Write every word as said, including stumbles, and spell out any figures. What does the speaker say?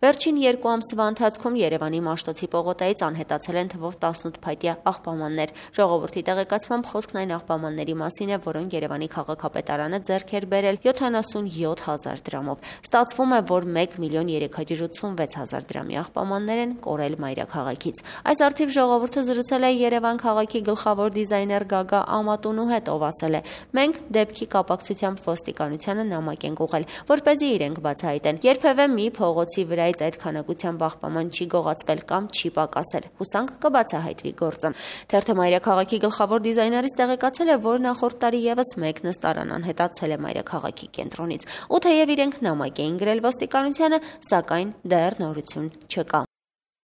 Վերջին երկու ամսվա ընթացքում Երևանի Մաշտոցի պողոտայից անհետացել են թվով տասնութ փայտյա աղբամաններ։ Ժողովրդի տեղեկացմամբ խոսքն այն աղբամանների մասին է, որոնք Երևանի քաղաքապետարանը ձեռք էր բերել յոթանասունյոթ հազար դրամով։ Ստացվում է, որ մեկ միլիոն երեք հարյուր ութսունվեց հազար դրամի աղբամաններ են կորել մայրաքաղաքից։ Այս առթիվ ժողովուրդը զրուցել է Երևան քաղաքի գլխավոր դիզայներ Գագա Ամատունու հետ, ով ասել է. «Մենք դեպքի կապակցությամբ ոստիկանությանը նամակ ենք ուղղել, որպեսզի իրենք բացահայտեն։ Երբևէ մի փողոցի վրայից այդ քանակությամբ աղբաման չի գողացվել կամ չի պակասել։ Հուսանք կբացահայտվի գործը»։ Թերթը մայրաքաղաքի գլխավոր դիզայներից տեղեկացել է, որ նախորդ տարի ևս մեկ նստարան անհետացել է մայրաքաղաքի կենտրոնից։ Ու թեև իրենք նամակ էին գրել ոստիկանությանը, սակայն դեռ նորություն չկա։